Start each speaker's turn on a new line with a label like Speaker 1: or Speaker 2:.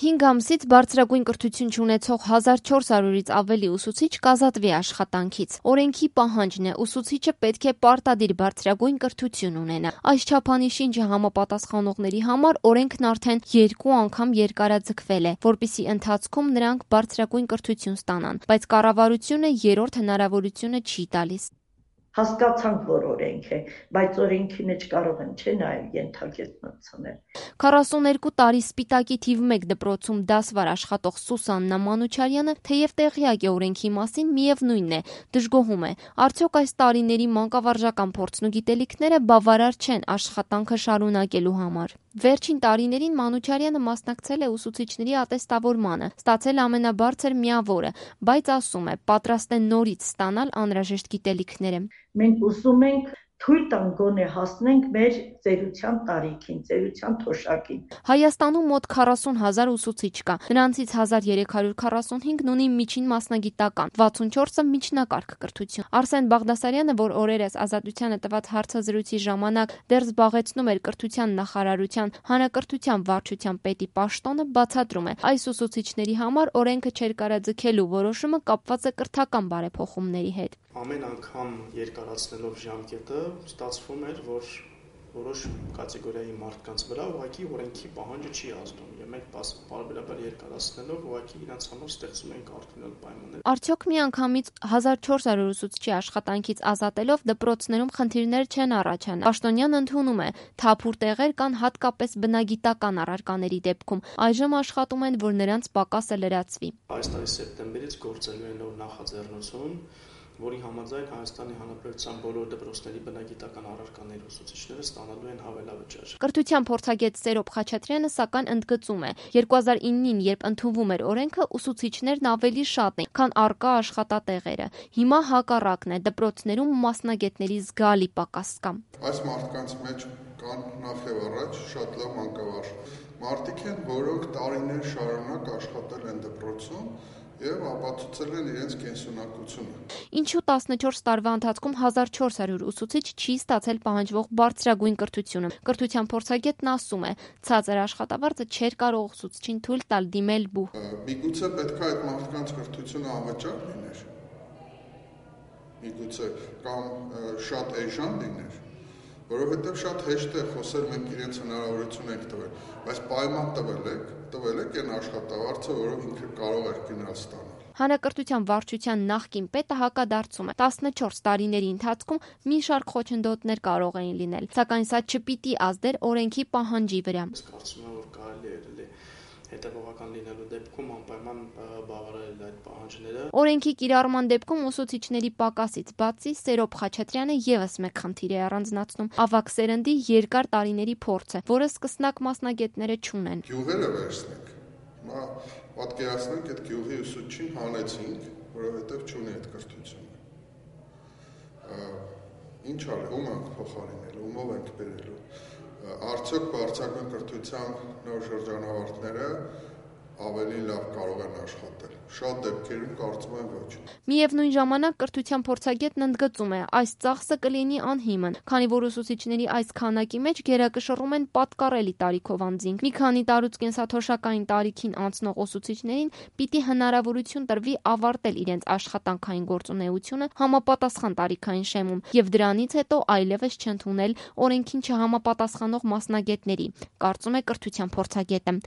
Speaker 1: 5 ամսից բարձրագույն կրթություն չունեցող 1400-ից ավելի ուսուցիչ կազատվի աշխատանքից։ Օրենքի պահանջն է, ուսուցիչը պետք է պարտադիր բարձրագույն կրթություն ունենա։ Այս չափանիշին չհամապատասխանողների համար օրենքն արդեն 2 անգամ երկարաձգվել է, որպեսզի ընթացքում նրանք բարձրագույն կրթություն ստանան, բայց կառավարությունը երրորդ հնարավորությունը չի տալիս։
Speaker 2: Հասկացանք, որ օրենք է, բայց օրենքի մեջ կարող են չէ նաև ենթակետնություններ։
Speaker 1: 42 տարի Սպիտակի թիվ 1 դպրոցում դասվար աշխատող Սուսաննա Մանուչարյանը թեև տեղյակ է օրենքի մասին, միևնույնն է, դժգոհում է, արդյոք այս տարիների մանկավարժական փորձն ու գիտելիքները բավարար չեն աշխատանքը շարունակելու համար։ Վերջին տարիներին Մանուչարյանը մասնակցել է ուսուցիչների ատեստավորմանը, ստացել ամենաբարձր միավորը, բայց ասում է, պատրաստ է նորից ստանալ անհրաժեշտ գիտելիքները։
Speaker 2: Մենք ուզում ենք թույլ տանք գոնե հասնենք մեր ծերության տարիքին, ծերության թոշակին։
Speaker 1: Հայաստանում մոտ 40,000 ուսուցիչ կա, նրանցից 1345-ն ունի միջին մասնագիտական, 64-ը միջնակարգ կրթություն։ Արսեն Բաղդասարյանը, որ օրերս Ազատությանը տված հարցազրույցի ժամանակ դեռ զբաղեցնում էր կրթության նախարարության հանրակրթության վարչության պետի պաշտոնը, բացատրում է, այս ուսուցիչների համար օրենքը չերկարաձգելու որոշումը կապված է կրթական բարեփոխումների հետ։
Speaker 3: Ամեն անգամ երկարացնելով ժամկետը ստացվում էր, որ որոշ կատեգորիայի մարդկանց վրա ուղղակի օրենքի պահանջը չի ազդում, եւ մենք պարբերաբար երկարացնելով ուղղակի իրենց համար ստեղծում ենք արդյունավետ պայմաններ։
Speaker 1: Արդյոք միանգամից 1400 ուսուցչի աշխատանքից ազատելով դպրոցներում խնդիրներ չեն առաջանա։ Պաշտոնյան ընդունում է, թափուր տեղեր կան հատկապես բնագիտական առարկաների դեպքում։ Այժմ աշխատում են, որ նրանց պակասը լրացվի։
Speaker 3: Այս տարի սեպտեմբերից գործելու է նոր նախաձեռնություն, որի համաձայն Հայաստանի Հանրապետության բոլոր դպրոցների բնագիտական առարկաների ուսուցիչները ստանալու են հավելավճար։
Speaker 1: Կրթության փորձագետ Սերոբ Խաչատրյանը սակայն ընդգծում է, 2009-ին, երբ ընդունվում էր օրենքը, ուսուցիչներն ավելի շատ են, քան առկա աշխատատեղերը։ Հիմա հակառակն է, դպրոցներում մասնագետների զգալի պակաս կա։
Speaker 4: Այս մարդկանց մեջ կան նախ եւ առաջ շատ լավ մանկավարժ մարդիկ են, որոնք տարիներ շարունակ աշխատել են դպրոցում եւ ապացուցել են իրենց կենսունակությունը։
Speaker 1: Ինչու 14 տարվա ընթացքում 1400 ուսուցիչ չի ստացել պահանջվող բարձրագույն կրթությունը։ Կրթության փորձագետն ասում է, ցածր աշխատավարձը չէր կարող ուսուցչին թույլ տալ դիմել բուհ։
Speaker 4: Միգուցե պետք է այդ մարդկանց կրթությունը անվճար լիներ։ Միգուցե կամ շատ էժան լիներ, որովհետև շատ հեշտ է խոսել, մենք իրենց հնարավորություն ենք տվել, բայց պայման տվել եք այն աշխատավարձը, որով ինքը կարող էր գնալ ստանալ։
Speaker 1: Հանրակրթության վարչության նախկին պետը հակադարձում է, 14 տարիների ընթացքում մի շարք խոչընդոտներ կարող էին լինել, սակայն սա չպիտի ազդեր օրենքի պահանջի վրա։
Speaker 3: Կարծում եմ, որ կարելի է հետևողական լինելու դեպքում անպայման բավարարել այդ պահանջները։
Speaker 1: Օրենքի կիրառման դեպքում ուսուցիչների պակասից բացի Սերոբ Խաչատրյանը եւս մեկ խնդիր է առանձնացնում՝ ավագ սերնդի երկար տարիների փորձը, որը սկսնակ մասնագետները չունեն։
Speaker 4: Գյուղերը վերցնենք։ Հիմա պատկերացնենք, այդ գյուղի ուսուցչին հանեցինք, որովհետև չունի այդ կրթությունը։ Ինչ արել, ում ենք փոխարինել, ումով ենք բերելու։ Արդյոք բարձրագույն կրթության նոր շրջանավարտները ավելի լավ կարող են աշխատել։ Շատ դեպքերում կարծում եմ ոչ։
Speaker 1: Միևնույն ժամանակ կրթության փորձագետն ընդգծում է, այս ծախսը կլինի անհիմն, քանի որ ուսուցիչների այս քանակի մեջ գերակշռում են պատկառելի տարիքով անձինք։ Մի քանի տարուց կենսաթոշակային տարիքին անցնող ուսուցիչներին պիտի հնարավորություն տրվի ավարտել իրենց աշխատանքային գործունեությունը համապատասխան տարիքային շեմում եւ դրանից հետո այլևս չընդունել օրենքին չհամապատասխանող մասնագետների, կարծում է կրթության փորձագետը։